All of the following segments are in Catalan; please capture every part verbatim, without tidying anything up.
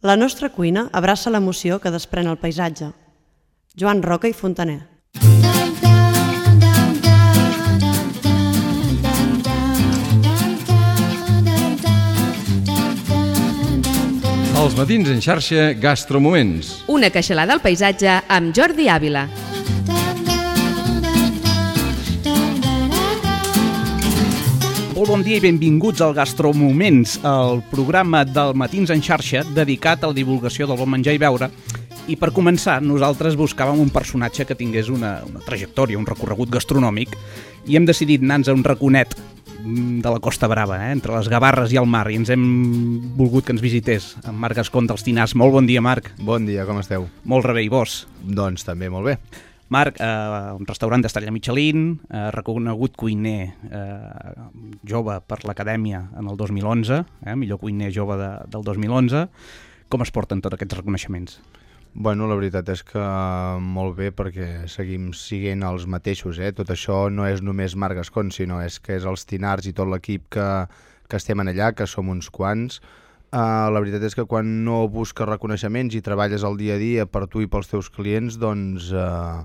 La nostra cuina abraça l'emoció que desprèn el paisatge. Joan Roca i Fontaner. Els matins en xarxa Gastromoments. Una queixalada al paisatge amb Jordi Ávila. Molt bon dia i benvinguts al Gastromoments, el programa del Matins en xarxa dedicat a la divulgació del bon menjar i beure. I per començar, nosaltres buscàvem un personatge que tingués una, una trajectòria, un recorregut gastronòmic, i hem decidit anar-nos a un raconet de la Costa Brava, eh? entre les Gavarres i el mar, i ens hem volgut que ens visités en Marc Gascon dels Tinars. Molt bon dia, Marc. Bon dia, com esteu? Molt rebé, i vos? Doncs també molt bé. Marc, eh, un restaurant d'estrella Michelin, eh, reconegut cuiner eh, jove per l'Acadèmia en el dos mil onze, eh, millor cuiner jove de, del dos mil onze. Com es porten tots aquests reconeixements? Bueno, la veritat és que molt bé, perquè seguim siguent els mateixos, eh? Tot això no és només Marc Gascon, sinó és que és els Tinars i tot l'equip que, que estem en allà, que som uns quants. Uh, la veritat és que quan no busques reconeixements i treballes el dia a dia per tu i pels teus clients, doncs, uh,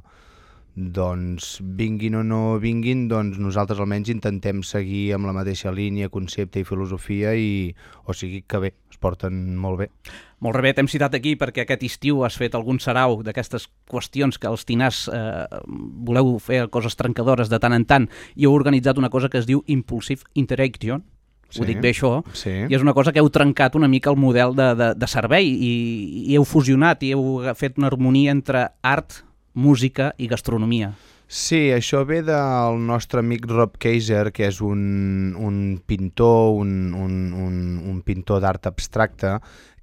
doncs vinguin o no vinguin, doncs nosaltres almenys intentem seguir amb la mateixa línia, concepte i filosofia, i o sigui que bé, es porten molt bé. Molt bé, t'hem citat aquí perquè aquest estiu has fet algun sarau d'aquestes qüestions que els Tinars eh, voleu fer coses trencadores de tant en tant, i heu organitzat una cosa que es diu Impulsive Interaction. Sí, ho dic bé això, sí. I és una cosa que heu trencat una mica el model de, de, de servei i, i heu fusionat i heu fet una harmonia entre art, música i gastronomia. Sí, això ve del nostre amic Rob Kaiser, que és un, un pintor, un, un, un, un pintor d'art abstracte,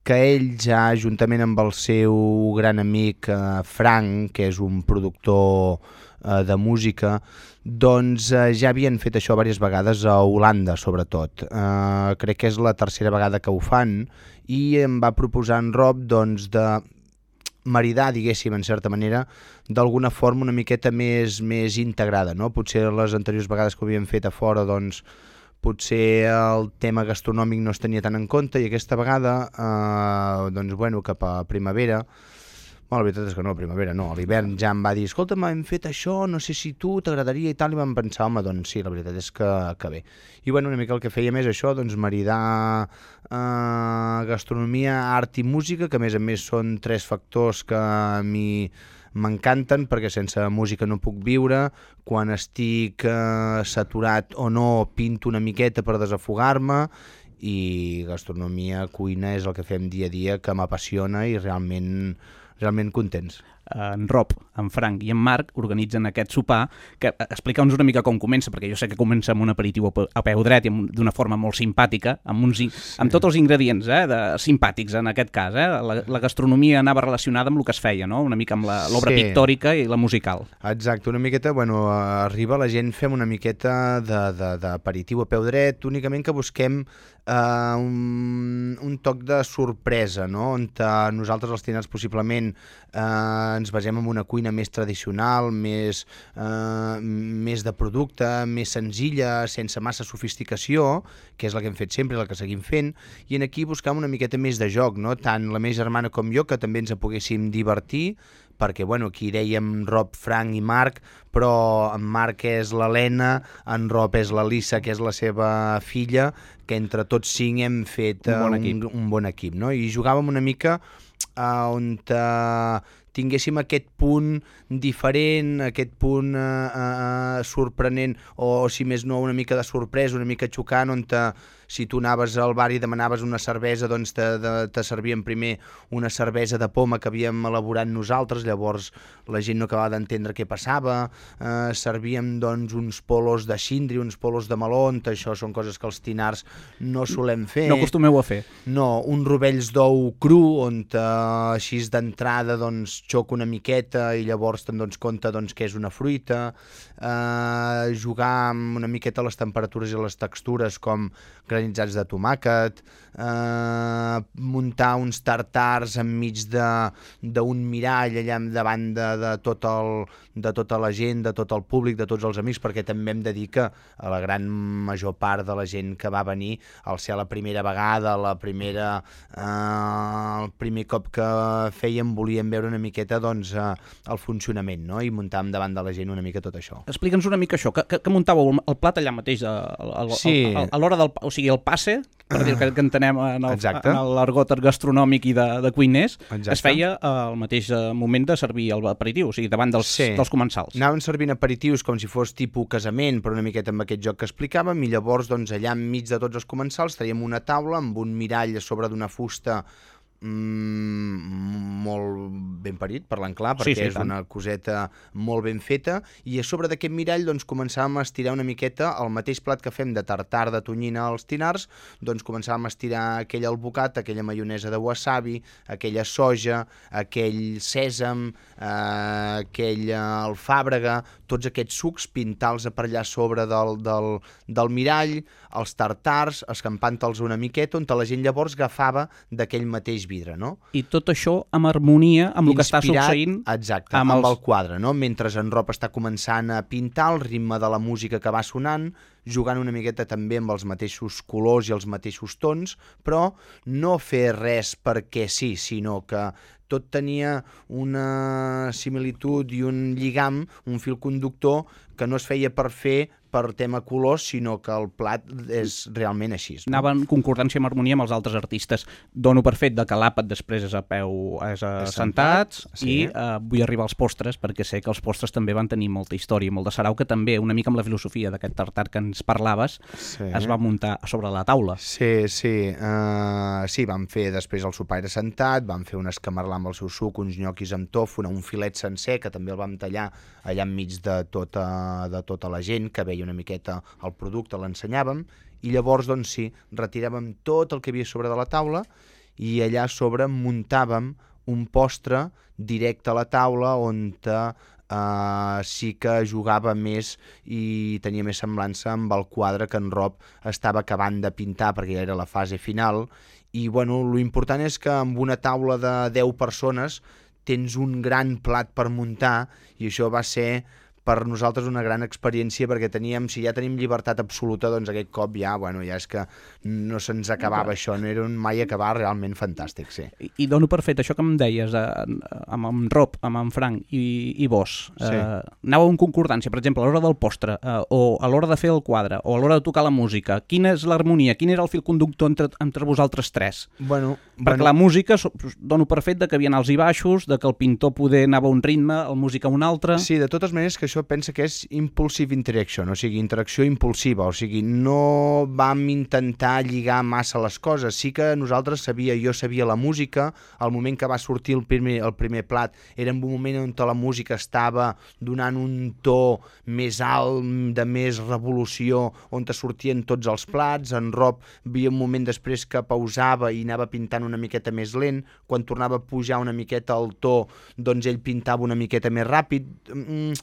que ell ja, juntament amb el seu gran amic eh, Frank, que és un productor eh, de música, doncs eh, ja havien fet això diverses vegades a Holanda, sobretot. Eh, crec que és la tercera vegada que ho fan, i em va proposar en Rob doncs, de maridar, diguéssim, en certa manera, d'alguna forma una miqueta més, més integrada, no? Potser les anteriors vegades que ho havien fet a fora, doncs, potser el tema gastronòmic no es tenia tant en compte, i aquesta vegada, eh, doncs, bueno, cap a primavera, bueno, la veritat és que no, a primavera no, a l'hivern ja em va dir, escolta, hem fet això, no sé si tu t'agradaria i tal, i vam pensar, home, doncs sí, la veritat és que, que bé. I bueno, una mica el que fèiem és això, doncs maridar eh, gastronomia, art i música, que a més a més són tres factors que a mi m'encanten, perquè sense música no puc viure. Quan estic eh, saturat o no, pinto una miqueta per desafogar-me, i gastronomia, cuina és el que fem dia a dia, que m'apassiona, i realment, realment contents. En Rob, en Frank i en Marc organitzen aquest sopar, que explica'ns una mica com comença, perquè jo sé que comença amb un aperitiu a peu dret i d'una forma molt simpàtica, amb, uns, sí. amb tots els ingredients eh, de, simpàtics en aquest cas. Eh? La, la gastronomia anava relacionada amb el que es feia, no? Una mica amb l'obra sí. pictòrica i la musical. Exacte, una miqueta, bueno, arriba la gent, fem una miqueta d'aperitiu a peu dret, únicament que busquem Uh, un, un toc de sorpresa, no? On uh, nosaltres els Tinars possiblement uh, ens basem en una cuina més tradicional, més, uh, més de producte, més senzilla, sense massa sofisticació, que és la que hem fet sempre, la que seguim fent, i en aquí buscam una miqueta més de joc, no? Tant la meva germana com jo, que també ens poguéssim divertir, perquè bueno, aquí dèiem Rob, Frank i Marc, però en Marc és l'Helena, en Rob és la Lisa, que és la seva filla, que entre tots cinc hem fet uh, un, bon equip. un, un bon equip, no? I jugàvem una mica uh, on uh, tinguéssim aquest punt diferent, aquest punt uh, uh, sorprenent, o si més no una mica de sorpresa, una mica xocant, on te, si tu anaves al bar i demanaves una cervesa, doncs te, de, te servien primer una cervesa de poma que havíem elaborat nosaltres, llavors la gent no acabava d'entendre què passava, eh, servíem doncs uns polos de xindri, uns polos de meló, això són coses que els Tinars no solem fer. No acostumeu a fer. No, uns rovells d'ou cru, on eh, així d'entrada doncs xoca una miqueta i llavors te'n dones compte doncs, que és una fruita, eh, jugar amb una miqueta les temperatures i les textures, com granitzats de tomàquet, eh, muntar uns tartars enmig d'un mirall allà davant de, de, tot el, de tota la gent, de tot el públic, de tots els amics, perquè també hem de dir que a la gran major part de la gent que va venir, al ser la primera vegada, la primera, eh, el primer cop que fèiem, volíem veure una miqueta doncs, eh, el funcionament, no? I muntàvem davant de la gent una mica tot això. Explica'ns una mica això, que, que, que muntàveu el plat allà mateix, a, a, a, sí. a, a l'hora del... O sigui, el passe, per dir que, que entenem en el, en l'argot gastronòmic i de, de cuiners, Exacte. Es feia al mateix moment de servir l'aperitiu, o sigui, davant dels, sí. dels comensals. Anaven servint aperitius com si fos tipus casament, però una miqueta amb aquest joc que explicàvem, i llavors doncs, allà enmig de tots els comensals traiem una taula amb un mirall a sobre d'una fusta Mm, molt ben parit, parlant clar, perquè sí, sí, és tant. Una coseta molt ben feta, i a sobre d'aquest mirall doncs, començàvem a estirar una miqueta el mateix plat que fem de tartar de tonyina als tinars, doncs començàvem a estirar aquell albocat, aquella maionesa de wasabi, aquella soja, aquell sèsam, eh, aquell alfàbrega, tots aquests sucs, pintar-los per allà sobre del, del, del mirall, els tartars, escampant-los una miqueta, on la gent llavors agafava d'aquell mateix vidre, no? I tot això amb harmonia amb el que està succeint exacte, amb, amb els... el quadre, no? Mentre en Rob està començant a pintar, el ritme de la música que va sonant, jugant una miqueta també amb els mateixos colors i els mateixos tons, però no fer res perquè sí, sinó que tot tenia una similitud i un lligam, un fil conductor que no es feia per fer per tema colors, sinó que el plat és realment així. No? Anava en concordància amb harmonia amb els altres artistes. Dono per fet de que l'àpat després és a peu, és a és sentats, sentat, sí. I uh, vull arribar als postres, perquè sé que els postres també van tenir molta història, molt de sarau, que també, una mica amb la filosofia d'aquest tartar que ens parlaves, sí. Es va muntar sobre la taula. Sí, sí. Uh, sí, vam fer després el sopaire sentat, vam fer un escamarlar amb el seu suc, uns nyoquis amb tòfona, un filet sencer, que també el vam tallar allà enmig de tota, de tota la gent, que veia una miqueta el producte, l'ensenyàvem, i llavors, doncs sí, retiràvem tot el que havia sobre de la taula i allà sobre muntàvem un postre directe a la taula on Uh, sí que jugava més i tenia més semblança amb el quadre que en Rob estava acabant de pintar, perquè ja era la fase final. I bueno, lo important és que amb una taula de deu persones tens un gran plat per muntar, i això va ser per nosaltres una gran experiència, perquè teníem, si ja tenim llibertat absoluta, doncs aquest cop ja, bueno, ja és que no se'ns acabava això, no era un mai acabar, realment fantàstic, sí. I, i dono per fet això que em deies, eh, amb en Rob, amb en Frank i, i vos, eh, sí. Anàveu en concordància, per exemple, a l'hora del postre, eh, o a l'hora de fer el quadre, o a l'hora de tocar la música, quina és l'harmonia, quin era el fil conductor entre, entre vosaltres tres? Bueno, perquè bueno. La música, dono per fet de que hi havia alts i baixos, de que el pintor poder anava a un ritme, el música a un altre... Sí, de totes maneres que això pensa que és impulsive interaction, o sigui, interacció impulsiva, o sigui, no vam intentar lligar massa les coses, sí que nosaltres sabia, jo sabia la música, al moment que va sortir el primer, el primer plat, era en un moment on la música estava donant un to més alt, de més revolució, on te sortien tots els plats, en Rob havia un moment després que pausava i anava pintant una miqueta més lent, quan tornava a pujar una miqueta el to, doncs ell pintava una miqueta més ràpid. Mm,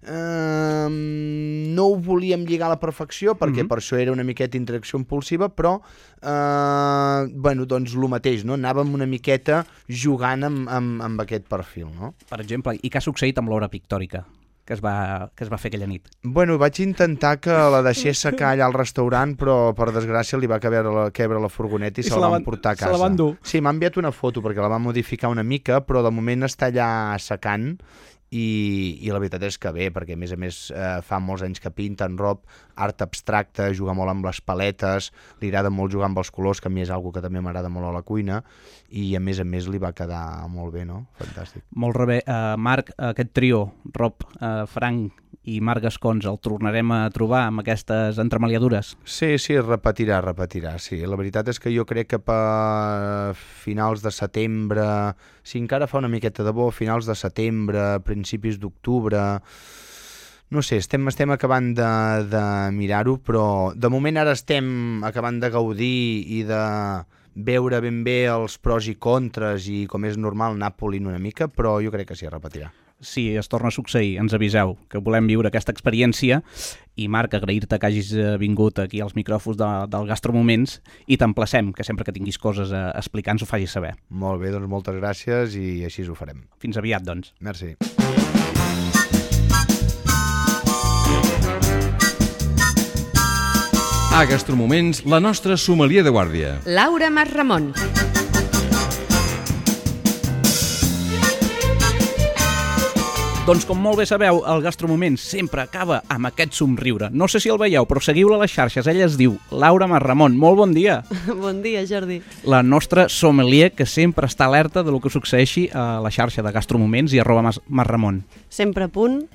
Uh, no ho volíem lligar a la perfecció perquè mm-hmm. per això era una miqueta interacció impulsiva, però uh, bueno, doncs el mateix, no? Anàvem una miqueta jugant amb, amb, amb aquest perfil, no? Per exemple, i què ha succeït amb l'hora pictòrica que es, va, que es va fer aquella nit? Bueno, vaig intentar que la deixés secar allà al restaurant, però per desgràcia li va caber la, quebre la furgoneta i, I se la van portar a casa. Se la van dur. Sí, m'ha enviat una foto perquè la va modificar una mica, però de moment està allà secant. I, i la veritat és que bé, perquè a més a més eh, fa molts anys que pinta en Rob, art abstracte, juga molt amb les paletes, li agrada molt jugar amb els colors, que a mi és una cosa que també m'agrada molt a la cuina, i a més a més li va quedar molt bé, no? Fantàstic. Molt bé. Uh, Marc, aquest trio, Rob, uh, Frank i Marc Gascons, el tornarem a trobar amb aquestes entremaliadures? Sí, sí, repetirà, repetirà, sí. La veritat és que jo crec que per finals de setembre, si encara fa una miqueta de bo, finals de setembre, principis d'octubre, no sé, estem, estem acabant de, de mirar-ho, però de moment ara estem acabant de gaudir i de veure ben bé els pros i contres i, com és normal, Nàpoli una mica, però jo crec que sí, repetirà. si es torna a succeir, ens aviseu, que volem viure aquesta experiència. I Marc, agrair-te que hagis vingut aquí als micròfons de, del Gastromoments i t'emplacem que sempre que tinguis coses a explicar ens ho facis saber. Molt bé, doncs moltes gràcies i així ho farem. Fins aviat, doncs. Merci. A Gastromoments, la nostra sommelier de guàrdia. Laura Masramon. Doncs com molt bé sabeu, el Gastromoments sempre acaba amb aquest somriure. No sé si el veieu, però seguiu-la a les xarxes. Ella es diu Laura Masramon. Molt bon dia. Bon dia, Jordi. La nostra sommelier que sempre està alerta de lo que succeeixi a la xarxa de Gastromoments i arroba Masramon. Sempre a punt,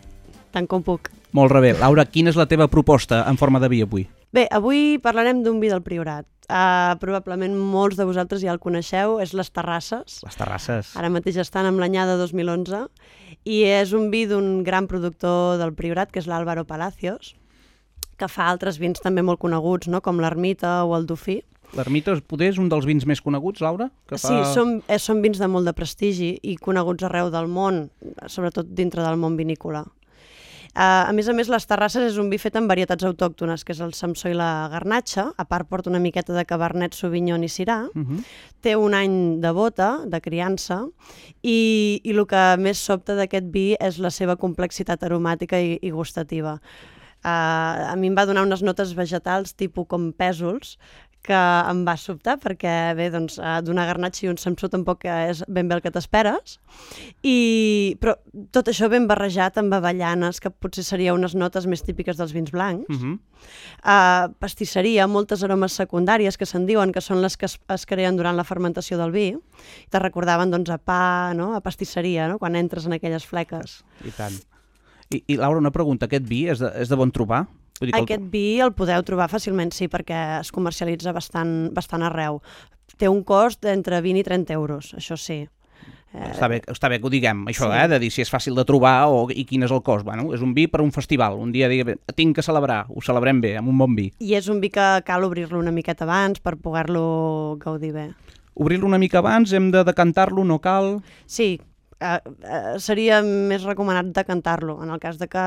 tant com puc. Molt bé. Laura, quina és la teva proposta en forma de vi avui? Bé, avui parlarem d'un vi del Priorat. Uh, probablement molts de vosaltres ja el coneixeu, és les Terrasses. Les Terrasses. Ara mateix estan amb l'anyada dos mil onze i és un vi d'un gran productor del Priorat, que és l'Álvaro Palacios, que fa altres vins també molt coneguts, no? Com l'Ermita o el Dofí. L'Ermita poder és un dels vins més coneguts, Laura? Que fa... Sí, són, eh, són vins de molt de prestigi i coneguts arreu del món, sobretot dintre del món vinícola. Uh, a més a més, les Terrasses és un vi fet amb varietats autòctones, que és el Samsó i la Garnatxa. A part porta una miqueta de Cabernet Sauvignon i Syrah. Uh -huh. Té un any de bota, de criança, i, i el que més sobta d'aquest vi és la seva complexitat aromàtica i, i gustativa. Uh, a mi em va donar unes notes vegetals tipus com pèsols, que em va sobtar perquè, bé, doncs, d'una garnatxa i un samsó tampoc és ben bé el que t'esperes. I... Però tot això ben barrejat amb avellanes, que potser seria unes notes més típiques dels vins blancs. Uh-huh. uh, pastisseria, moltes aromes secundàries que se'n diuen que són les que es, es creen durant la fermentació del vi. Te recordaven, doncs, a pa, no? A pastisseria, no? Quan entres en aquelles fleques. I tant. I, i Laura, una pregunta. Aquest vi és de, és de bon trobar? El... Aquest vi el podeu trobar fàcilment, sí, perquè es comercialitza bastant, bastant arreu. Té un cost d'entre vint i trenta euros, això sí. Eh... Està, bé, està bé que ho diguem, això, sí. eh, de dir si és fàcil de trobar o, i quin és el cost. Bueno, és un vi per un festival, un dia digui, tinc que celebrar, ho celebrem bé, amb un bon vi. I és un vi que cal obrir-lo una miqueta abans per poder-lo gaudir bé. Obrir-lo una mica abans, hem de decantar-lo, no cal? Sí, Uh, uh, seria més recomanat decantar-lo, en el cas de que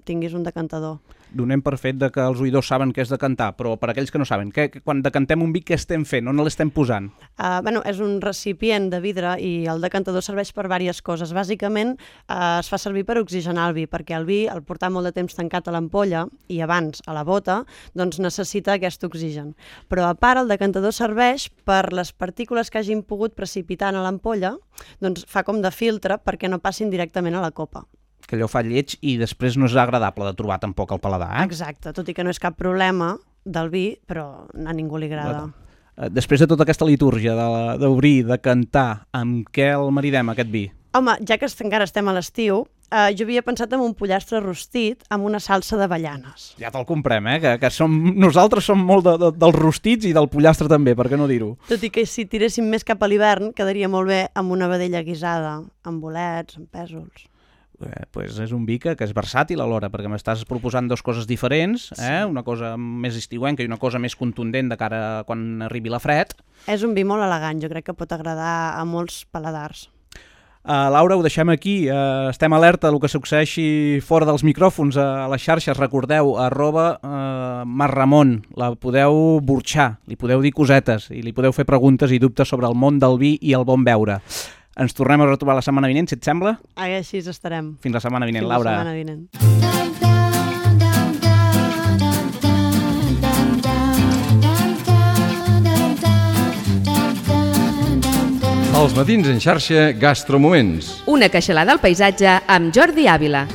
tinguis un decantador. Donem per fet de que els oïdors saben què és decantar, però per aquells que no saben, què, quan decantem un vi, què estem fent? On l'estem posant? Uh, bueno, és un recipient de vidre i el decantador serveix per diverses coses. Bàsicament uh, es fa servir per oxigenar el vi, perquè el vi, al portar molt de temps tancat a l'ampolla i abans a la bota, doncs necessita aquest oxigen. Però a part, el decantador serveix per les partícules que hagin pogut precipitar a l'ampolla, doncs fa com de filtre perquè no passin directament a la copa. Que allò fa lleig i després no és agradable de trobar tampoc al paladar, eh? Exacte, tot i que no és cap problema del vi, però a ningú li agrada. Després de tota aquesta litúrgia d'obrir, de cantar, amb què el maridem, aquest vi? Home, ja que encara estem a l'estiu, eh, jo havia pensat en un pollastre rostit amb una salsa d'avellanes. Ja te'l comprem, eh? Que, que som, nosaltres som molt de, de, dels rostits i del pollastre també, per què no dir-ho? Tot i que si tiréssim més cap a l'hivern, quedaria molt bé amb una vedella guisada, amb bolets, amb pèsols. Eh, pues és un vi que, que és versàtil alhora, perquè m'estàs proposant dues coses diferents, eh? Una cosa més estiuenca i una cosa més contundent de cara a quan arribi la fred. És un vi molt elegant, jo crec que pot agradar a molts paladars. Uh, Laura, ho deixem aquí. Uh, estem alerta del que succeeixi fora dels micròfons a les xarxes. Recordeu, arroba uh, Masramon. La podeu burxar, li podeu dir cosetes i li podeu fer preguntes i dubtes sobre el món del vi i el bon beure. Ens tornem a retrobar la setmana vinent, si et sembla? Ah, així estarem. Fins la setmana vinent, Fins Laura. Fins la setmana vinent. Els matins en xarxa Gastromoments. Una queixalada al paisatge amb Jordi Àvila.